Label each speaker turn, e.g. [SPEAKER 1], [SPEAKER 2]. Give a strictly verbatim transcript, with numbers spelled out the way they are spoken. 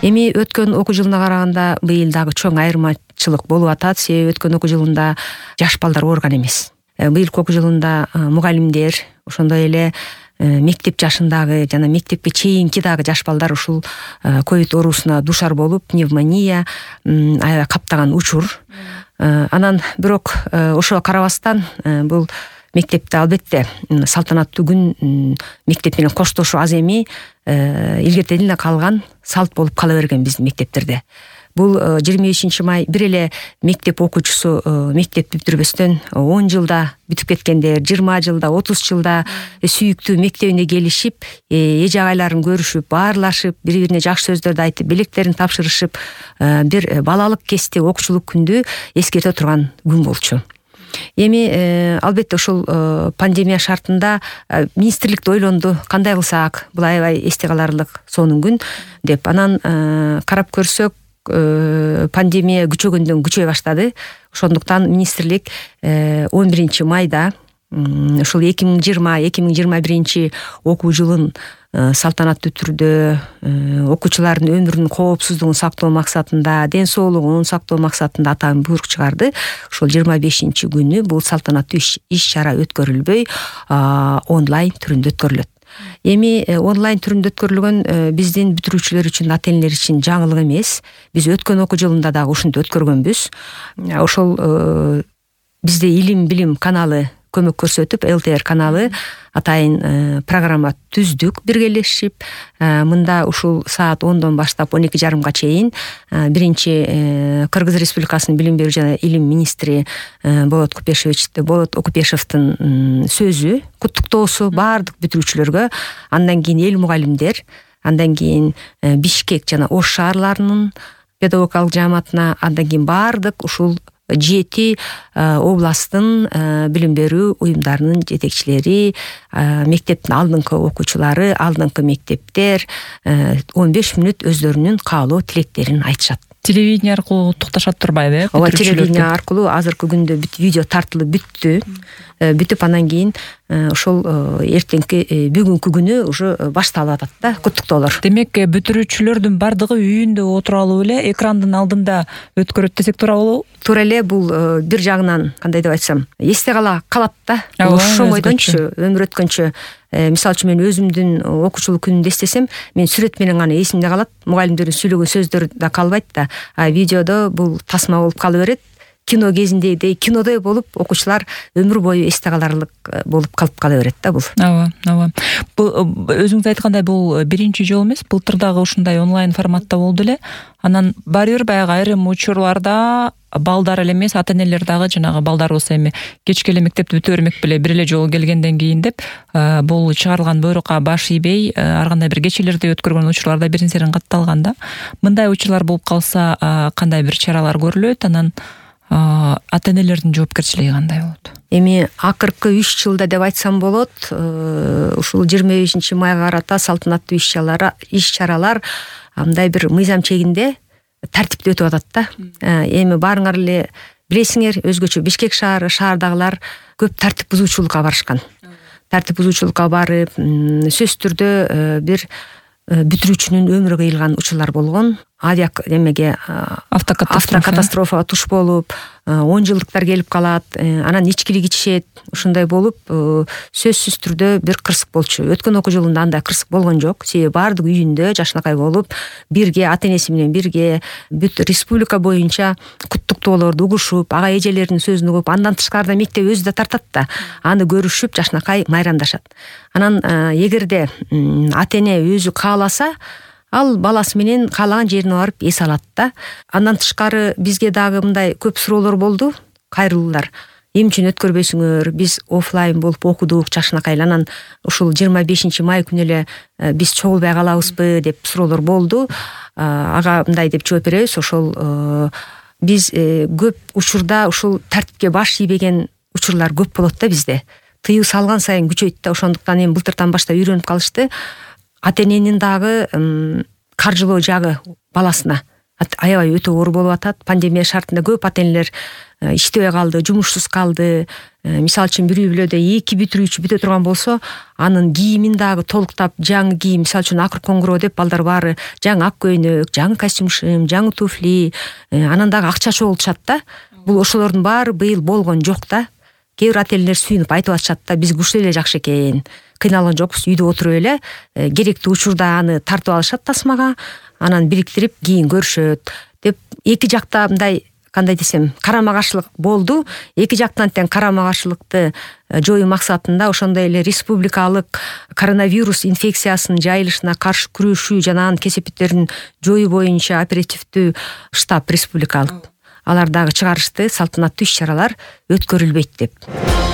[SPEAKER 1] Эми өткөн окуу жылына караганда быйыл дагы чоң айырмачылык болуп атат. Себеби өткөн окуу жылында жаш балдар ооруган эмес. Быйылкы окуу жылында мугалимдер, ошондой эле мектеп жашындагы жана мектепке чейинки дагы жаш балдар ушул ковид оорусуна душар болуп, пневмония аябай каптаган учур. Анан бирок ошого карабастан бул мектепте албетте салтанаттуу күн мектеп менен коштошуу аз эми илгертеден эле калган салт болуп кала берген биздин мектептерде. Бул жыйырма бешинчи май бир эле мектеп окуучусу мектепти бүтүрбөстөн он жылда бүтүп кеткендер, жыйырма жылда, отуз жылда сүйүктүү мектебине келишип, эже агайларын көрүшүп, баарлашып, бири-бирине жакшы сөздөрдү айтып, белектерин тапшырышып, бир балалык кезде окуучулук күндү эскерте турган күн болчу. Эми албетте ушул пандемия шартында министрлик да ойлонду, кандай кылсак, бул аябай эсте каларлык сонун күн деп. Анан карап көрсөк, пандемия күчөгөндөн күчөй баштады. Ошондуктан министрлик он биринчи майда ушул эки миң жыйырма эки миң жыйырма биринчи окуу жылын салтанаттуу түрдө окуучулардын өмүрүнүн коопсуздугун сактоо максатында, ден соолугун сактоо максатында атайын буйрук чыгарды. Ошол жыйырма бешинчи күнү бул салтанаттуу иш-чара өткөрүлбөй онлайн түрүндө өткөрүлөт. Эми онлайн түрүндө өткөрүлгөн биздин бүтүрүүчүлөр үчүн, ата-энелер үчүн жаңылык эмес. Биз өткөн окуу жылында дагы ушинтип өткөргөнбүз. Ошол бизде Илим Билим каналы көмөк көрсөтүп, эл тэ эр каналы атайын программа түздүк биргелешип. Мында ушул саат ондон баштап он эки жарымга чейин биринчи Кыргыз Республикасынын билим берүү жана илим министри Болот Купешевич Болот Окупешевдин сөзү, куттуктоосу баардык бүтүрүүчүлөргө, андан кийин эл мугалимдер, андан кийин Бишкек жана Ош шаарларынын педагогикалык жааматына, андан кийин баардык ушул жети областтын билим берүү уюмдарынын жетекчилери, мектептин алдыңкы окуучулары, алдыңкы мектептер он беш мүнөт өздөрүнүн каалоо тилектерин айтышат.
[SPEAKER 2] Телевидение аркылуу куттукташат турбайбы?
[SPEAKER 1] Ооба, телевидение аркылуу азыркы күндө видео тартылып бүттү. Бүтүп анан кийин ошол эртеңки бүгүнкү күнү уже башталып атат да, куттуктоолор.
[SPEAKER 2] Демек, бүтүрүүчүлөрдүн бардыгы үйүндө отура алуу эле экрандын алдында өткөрөт десек туура болобу?
[SPEAKER 1] Туура эле. Бул бир жагынан кандай деп айтсам, эсте кала калат да. Ошомойдончу өмүр өткөнчө. Мисалы үчүн мен өзүмдүн окуучулук күнүмдү эстесем, мен сүрөт менен гана эсимде калат. Мугалимдердин сүйлөгөн сөздөрү да калбайт да. А видеодо бул тасма болуп кала берет. Кино кезиндегидей кинодой болуп, окуучулар өмүр бою эсте каларлык болуп калып кала берет да бул.
[SPEAKER 2] Ооба, ооба. Бул өзүңүз айткандай бул биринчи жолу эмес, былтыр дагы ушундай онлайн форматта болду эле. Анан баары бир баягы айрым учурларда балдар эле эмес, ата-энелер дагы жанагы балдар болсо эми кечке эле мектепти бүтө бермек беле бир эле жолу келгенден кийин деп бул чыгарылган буйрукка баш ийбей ар кандай бир кечелерди өткөргөн учурларда бирин серин катталган да. Мындай учурлар болуп калса кандай бир чаралар көрүлөт? Анан ата-энелердин жоопкерчилиги кандай болот?
[SPEAKER 1] Эми акыркы үч жылда деп айтсам болот, ушул жыйырма бешинчи майга карата салтанаттуу иш-чаралар иш-чаралар мындай бир мыйзам чегинде тартипте өтүп атат да. Эми баарыңар эле билесиңер, өзгөчө Бишкек шаары, шаардагылар көп тартип бузуучулукка барышкан. Тартип бузуучулукка барып, сөзсүз түрдө бир бүтүрүүчүнүн өмүрү кыйылган учурлар болгон. Авиа эмеге автокатастрофага туш болуп, он жылдыктар келип калат, анан ичкилик ичишет, ушундай болуп, сөзсүз түрдө бир кырсык болчу. Өткөн окуу жылында андай кырсык болгон жок. Себеби баардык үйүндө жашынакай болуп, бирге ата-энеси менен бирге бүт республика боюнча куттуктоолорду угушуп, ага эжелердин сөзүн угуп, андан тышкарыда мектеп өзү да тартат да, аны көрүшүп жашынакай майрамдашат. Анан эгерде ата-эне өзү кааласа, ал баласы менен каалаган жерине барып эс алат да. Андан тышкары бизге дагы мындай көп суроолор болду, кайрылуулар. Эмне үчүн өткөрбөйсүңөр? Биз офлайн болуп окудук жашынакай. Анан ушул жыйырма бешинчи май күнү эле биз чогулбай калабызбы деп суроолор болду. Ага мындай деп жооп беребиз. Ошол биз көп учурда ушул тартипке баш ийбеген учурлар көп болот да бизде. Тыюу салган сайын күчөйт да. Ошондуктан эми былтыртан баштап үйрөнүп калышты. Ата-эненин дагы каржылоо жагы баласына аябай өтө оор болуп атат. Пандемия шартында көп ата энелер иштебей калды, жумушсуз калды. Мисалы үчүн бир үй бүлөдө эки бүтүрүүчү бүтө турган болсо, анын кийимин дагы толуктап жаңы кийим, мисалы үчүн акыр коңгуроо деп балдар баары жаңы ак көйнөк, жаңы костюм-шым, жаңы туфли, анан дагы акча чогултушат да. Бул ошолордун баары быйыл болгон жок да. Кээ бир ата энелер сүйүнүп айтып атышат да, биз ушул эле жакшы экен. Кыйналган жокпуз, үйдө отуруп эле керектүү учурда аны тартып алышат тасмага, анан бириктирип кийин көрүшөт деп эки жакта мындай кандай десем, карама каршылык болду. Эки жактан тең карама каршылыкты жоюу максатында ошондой эле республикалык коронавирус инфекциясынын жайылышына каршы күрөшүү жана анын кесепеттерин жоюу боюнча оперативдүү штаб республикалык алар дагы чыгарышты, салтанаттуу иш чаралар өткөрүлбөйт деп.